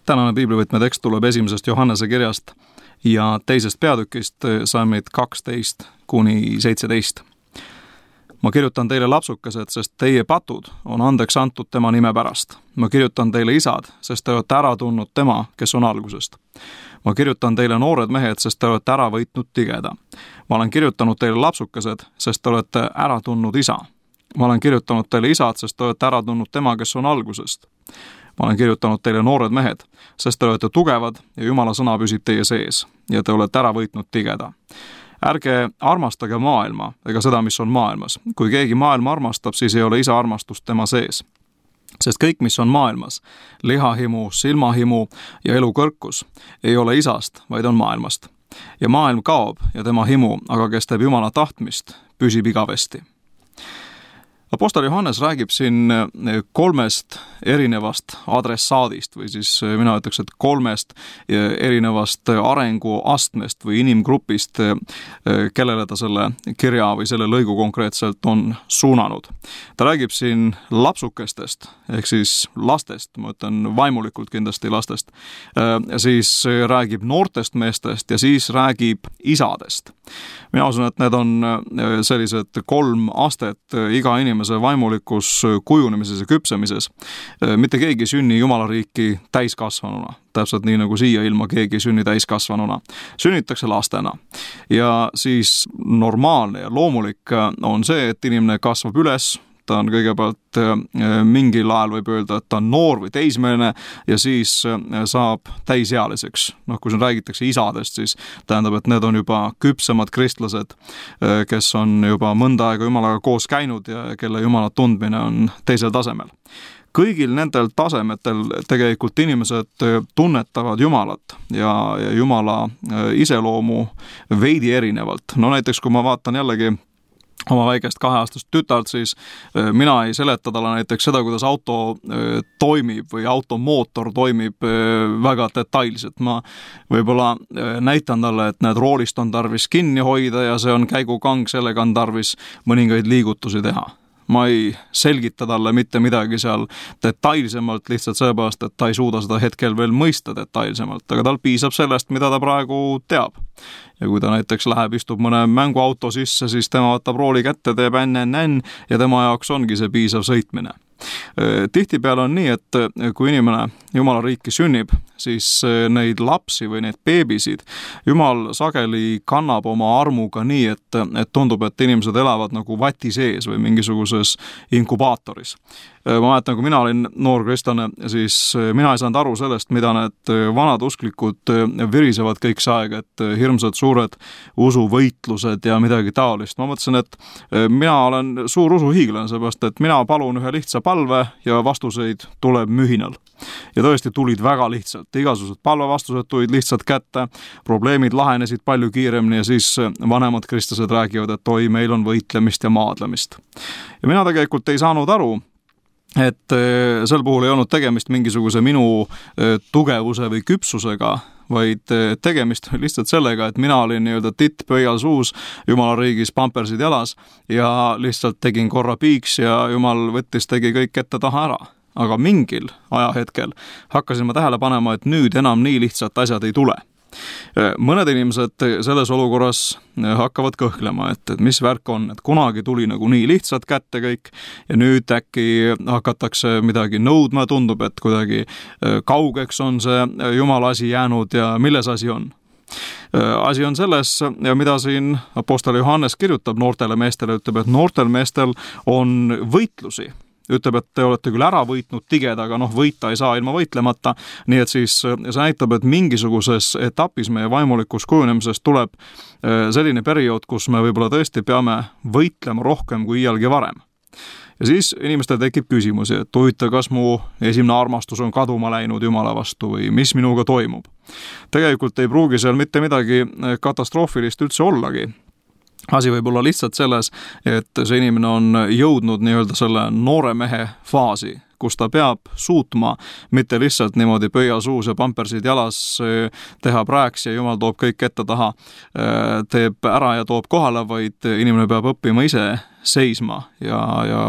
Tänane piiblivõtme tekst tuleb 1. Johannese kirjast ja 2. peatükist salmid 12-17. Ma kirjutan teile lapsukesed, sest teie patud on andeks antud tema nime pärast. Ma kirjutan teile isad, sest te olete ära tundnud tema, kes on algusest. Ma kirjutan teile noored mehed, sest te olete ära võitnud tigeda. Ma olen kirjutanud teile lapsukesed, sest te olete ära tundnud isa. Ma olen kirjutanud teile isad, sest te olete ära tundnud tema, kes on algusest. Ma olen kirjutanud teile noored mehed, sest te olete tugevad ja Jumala sõna püsib teie sees ja te olete ära võitnud tigeda. Ärge armastage maailma ega seda, mis on maailmas. Kui keegi maailma armastab, siis ei ole isa armastust tema sees. Sest kõik, mis on maailmas, lihahimu, silmahimu ja elukõrkus, ei ole isast, vaid on maailmast. Ja maailm kaob ja tema himu, aga kes teeb Jumala tahtmist, püsib igavesti. Apostel Johannes räägib siin 3 erinevast adressaadist või siis mina ütleks, et 3 erinevast arenguastmest või inimgrupist, kellele ta selle kirja või selle lõigu konkreetselt on suunanud. Ta räägib siin lapsukestest ehk siis lastest, ma ütlen vaimulikult kindlasti lastest, siis räägib noortest meestest ja siis räägib isadest. Mina usun, et need on sellised 3 astet iga inimese vaimulikus kujunemises ja küpsemises. Mitte keegi sünni Jumala riiki täiskasvanuna. Täpselt nii nagu siia ilma keegi sünni täiskasvanuna. Sünnitakse lastena. Ja siis normaalne ja loomulik on see, et inimene kasvab üles. Ta on kõigepealt mingil ajal võib öelda, et ta on noor või teismeline ja siis saab täisealiseks. Kui siin räägitakse isadest, siis tähendab, et need on juba küpsemad kristlased, kes on juba mõnda aega Jumalaga koos käinud ja kelle Jumala tundmine on teisel tasemel. Kõigil nendel tasemetel tegelikult inimesed tunnetavad Jumalat ja Jumala iseloomu veidi erinevalt. Näiteks kui ma vaatan jällegi oma väikest 2-aastast tütart, siis mina ei seleta talle näiteks seda, kuidas auto toimib või automootor toimib väga detailselt. Ma võib-olla näitan talle, et need roolist on tarvis kinni hoida ja see on käigukang, sellega on tarvis mõningaid liigutusi teha. Ma ei selgita talle mitte midagi seal detailsemalt lihtsalt sellepärast, et ta ei suuda seda hetkel veel mõista detailsemalt, aga tal piisab sellest, mida ta praegu teab. Ja kui ta näiteks läheb, istub mõne mänguauto sisse, siis tema võtab rooli kätte, teeb NNN ja tema jaoks ongi see piisav sõitmine. Tihtipeale on nii, et kui inimene Jumala riiki sünnib, siis neid lapsi või neid beebisid Jumal sageli kannab oma armuga nii, et tundub, et inimesed elavad nagu vati sees või mingisuguses inkubaatoris. Ma mäletan, kui mina olin noor kristlane, siis mina ei saanud aru sellest, mida need vanad usklikud virisevad kõik see aeg, et hirmsad suured usuvõitlused ja midagi taolist. Ma mõtlesin, et mina olen suur usuhiiglane, seepärast, et mina palun ühe lihtsa palve ja vastuseid tuleb mühinal. Ja tõesti tulid väga lihtsalt. Igasugused palvevastused tulid lihtsalt kätte, probleemid lahenesid palju kiiremini ja siis vanemad kristlased räägivad, et oi, meil on võitlemist ja maadlemist. Ja mina tegelikult ei saanud aru, et sel puhul ei olnud tegemist mingisuguse minu tugevuse või küpsusega, vaid tegemist lihtsalt sellega, et mina olin nii-öelda titt pöial suus, Jumala riigis pampersid jalas ja lihtsalt tegin korra piiks ja Jumal tegi kõik ette taha ära. Aga mingil ajahetkel hakkasin ma tähele panema, et nüüd enam nii lihtsalt asjad ei tule. Mõned inimesed selles olukorras hakkavad kõhklema, et mis värk on, et kunagi tuli nagu nii lihtsalt kätte kõik ja nüüd äkki hakatakse midagi nõudma, tundub, et kuidagi kaugeks on see Jumala asi jäänud ja milles asi on. Asi on selles, mida siin apostel Johannes kirjutab noortele meestele, ütleb, et noortel meestel on võitlusi. Ütleb, et te olete küll ära võitnud tigeda, aga võita ei saa ilma võitlemata, nii et siis see näitab, et mingisuguses etapis meie vaimulikus kujunemisest tuleb selline periood, kus me võib-olla tõesti peame võitlema rohkem kui iialgi varem. Ja siis inimestel tekib küsimusi, et huvitav, kas mu esimene armastus on kaduma läinud Jumala vastu või mis minuga toimub. Tegelikult ei pruugi seal mitte midagi katastroofilist üldse ollagi. Asi võib olla lihtsalt selles, et see inimene on jõudnud nii-öelda selle noore mehe faasi, kus ta peab suutma mitte lihtsalt niimoodi pöia suus ja pampersid jalas teha prääks ja Jumal toob kõik ette taha, teeb ära ja toob kohale, vaid inimene peab õppima ise seisma ja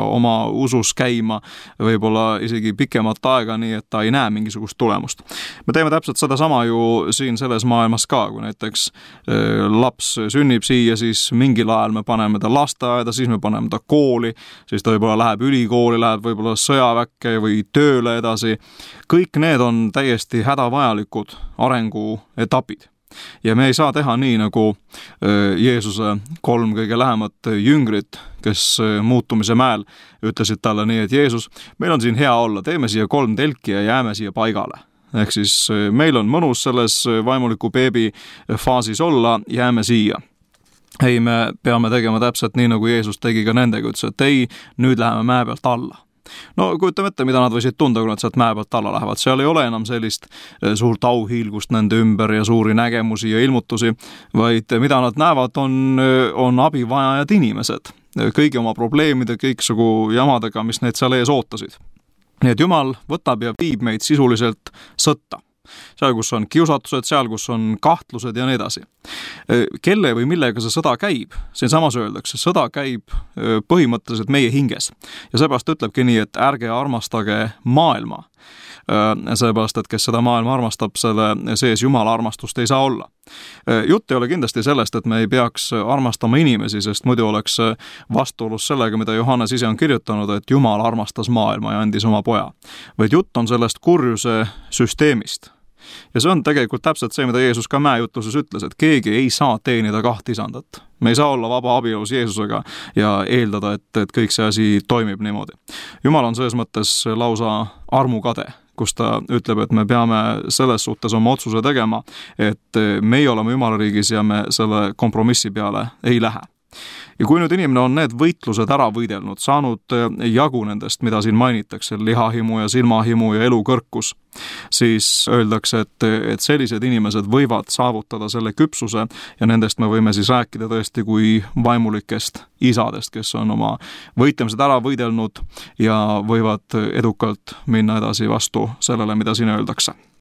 oma usus käima võib-olla isegi pikemat aega, nii et ta ei näe mingisugust tulemust. Me teeme täpselt sedasama ju siin selles maailmas ka, kui näiteks laps sünnib siia, siis mingil ajal me paneme ta lasteaeda, siis me paneme ta kooli, siis ta võib-olla läheb ülikooli, läheb võib-olla sõjaväkke või tööle edasi. Kõik need on täiesti hädavajalikud arenguetapid. Ja me ei saa teha nii, nagu Jeesuse 3 kõige lähemat jüngrit, kes muutumise mäel ütlesid talle nii, et Jeesus, meil on siin hea olla, teeme siia 3 telki ja jääme siia paigale. Ehk siis meil on mõnus selles vaimuliku beebi faasis olla, jääme siia. Ei, me peame tegema täpselt nii, nagu Jeesus tegi ka nendega, ütles, et ei, nüüd läheme mäe pealt alla. No kujutame ette, mida nad võisid tunda, kui nad sealt mäe pealt alla lähevad. Seal ei ole enam sellist suurt auhiilgust nende ümber ja suuri nägemusi ja ilmutusi, vaid mida nad näevad, on abivajajad inimesed. Kõigi oma probleemide, kõiksugu jamadega, mis neid seal ees ootasid. Nii et Jumal võtab ja viib meid sisuliselt sõtta. Seal, kus on kiusatused, seal, kus on kahtlused ja nii edasi. Kelle või millega see sõda käib? Siin samas öeldakse, sõda käib põhimõtteliselt meie hinges. Ja seepärast ütlebki nii, et ärge armastage maailma. Seepärast, et kes seda maailma armastab, selle sees Jumala armastust ei saa olla. Jutt ei ole kindlasti sellest, et me ei peaks armastama inimesi, sest muidu oleks vastuolus sellega, mida Johannes ise on kirjutanud, et Jumal armastas maailma ja andis oma poja. Vaid jutt on sellest kurjuse süsteemist. Ja see on tegelikult täpselt see, mida Jeesus ka mäejutluses ütles, et keegi ei saa teenida 2 isandat. Me ei saa olla vaba abielus Jeesusega ja eeldada, et kõik see asi toimib niimoodi. Jumal on selles mõttes lausa armukade, kus ta ütleb, et me peame selles suhtes oma otsuse tegema, et meie oleme Jumalariigis ja me selle kompromissi peale ei lähe. Ja kui nüüd inimene on need võitlused ära võidelnud, saanud jagu nendest, mida siin mainitakse, lihahimu ja silmahimu ja elukõrkus, siis öeldakse, et sellised inimesed võivad saavutada selle küpsuse ja nendest me võime siis rääkida tõesti kui vaimulikest isadest, kes on oma võitlemised ära võidelnud ja võivad edukalt minna edasi vastu sellele, mida siin öeldakse.